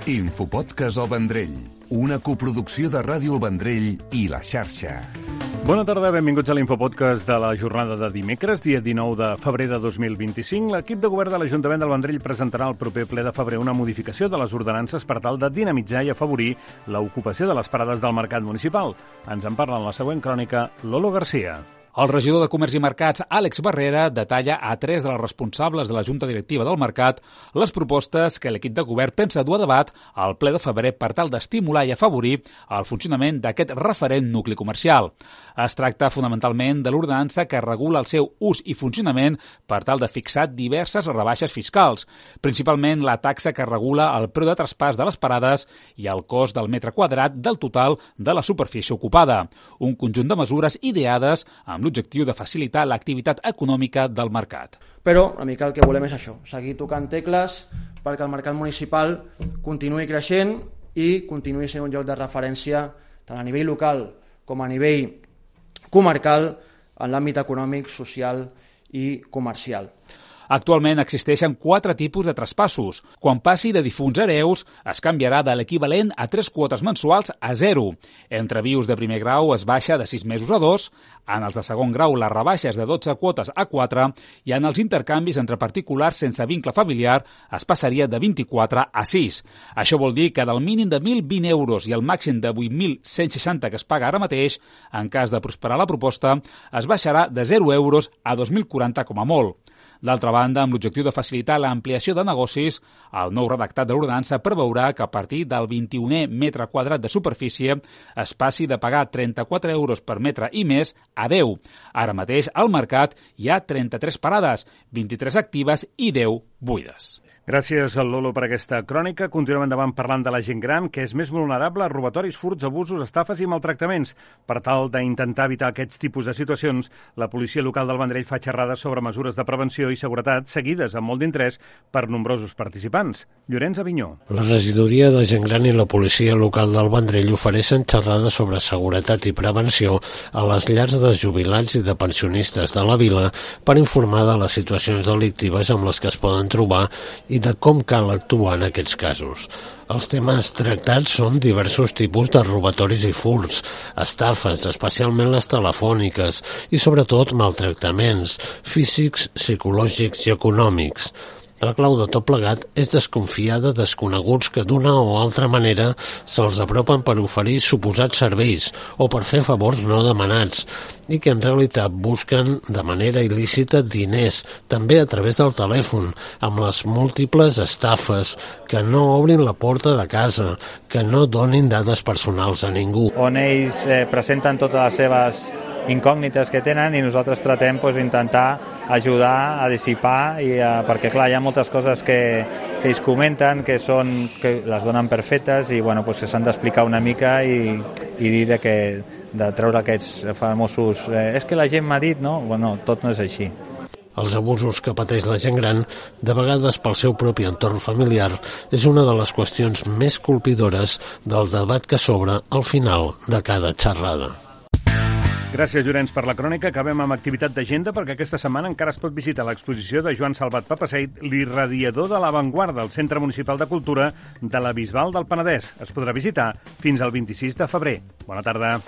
Infopodcast El Vendrell, una coproducció de Ràdio El Vendrell i La Xarxa. Bona tarda, benvinguts a l'Infopodcast de la jornada de dimecres, dia 19 de febrer de 2025. L'equip de govern de l'Ajuntament del Vendrell presentarà al proper ple de febrer una modificació de les ordenances per tal de dinamitzar i afavorir l'ocupació de les parades del mercat municipal. Ens en parla en la següent crònica Lolo Garcia. El regidor de Comerç i Mercats, Àlex Barrera, detalla a 3 de les responsables de la Junta Directiva del Mercat les propostes que l'equip de govern pensa dur a debat al ple de febrer per tal d'estimular i afavorir el funcionament d'aquest referent nucli comercial. Es tracta fonamentalment de l'ordenança que regula el seu ús i funcionament per tal de fixar diverses rebaixes fiscals, principalment la taxa que regula el preu de traspàs de les parades i el cost del metre quadrat del total de la superfície ocupada. Un conjunt de mesures ideades amb l'objectiu de facilitar l'activitat econòmica del mercat. Però una mica el que volem és això, seguir tocant tecles perquè el mercat municipal continuï creixent i continuï sent un lloc de referència tant a nivell local com a nivell comarcal en l'àmbit econòmic, social i comercial. Actualment existeixen 4 tipus de traspassos. Quan passi de difunts a hereus, es canviarà de l'equivalent a 3 quotes mensuals a 0. Entre vius de primer grau es baixa de 6 mesos a 2, en els de segon grau la rebaixa és de 12 quotes a 4 i en els intercanvis entre particulars sense vincle familiar es passaria de 24 a 6. Això vol dir que del mínim de 1.020 euros i el màxim de 8.160 que es paga ara mateix, en cas de prosperar la proposta, es baixarà de 0 euros a 2.040 com a molt. D'altra banda, amb l'objectiu de facilitar l'ampliació de negocis, el nou redactat de l'ordenança preveurà que a partir del 21è metre quadrat de superfície es passi de pagar 34 euros per metre i més a 10. Ara mateix al mercat hi ha 33 parades, 23 actives i 10 buides. Gràcies, Lolo, per aquesta crònica. Continuem endavant parlant de la gent gran, que és més vulnerable a robatoris, furts, abusos, estafes i maltractaments. Per tal d'intentar evitar aquests tipus de situacions, la policia local del Vendrell fa xerrades sobre mesures de prevenció i seguretat seguides amb molt d'interès per nombrosos participants. Llorenç Avinyó. La regidoria de gent gran i la policia local del Vendrell ofereixen xerrades sobre seguretat i prevenció a les llars de jubilats i de pensionistes de la vila per informar de les situacions delictives amb les que es poden trobar i de com cal actuar en aquests casos. Els temes tractats són diversos tipus de robatoris i furts, estafes, especialment les telefòniques, i sobretot maltractaments físics, psicològics i econòmics. La clau de tot plegat és desconfiar de desconeguts que d'una o altra manera se'ls apropen per oferir suposats serveis o per fer favors no demanats i que en realitat busquen de manera il·lícita diners, també a través del telèfon, amb les múltiples estafes, que no obrin la porta de casa, que no donin dades personals a ningú. On ells presenten totes les seves incògnites que tenen i nosaltres tratem d'intentar ajudar a dissipar perquè clar, hi ha moltes coses que ells comenten que les donen per fetes i que s'han d'explicar una mica i dir de treure aquests famosos és que la gent m'ha dit, no? Bueno, tot no és així. Els abusos que pateix la gent gran, de vegades pel seu propi entorn familiar, és una de les qüestions més colpidores del debat que s'obre al final de cada xerrada. Gràcies, Llorenç, per la crònica. Acabem amb activitat d'agenda perquè aquesta setmana encara es pot visitar l'exposició de Joan Salvat Papaseit, l'irradiador de l'avantguarda, al Centre Municipal de Cultura de la Bisbal del Penedès. Es podrà visitar fins al 26 de febrer. Bona tarda.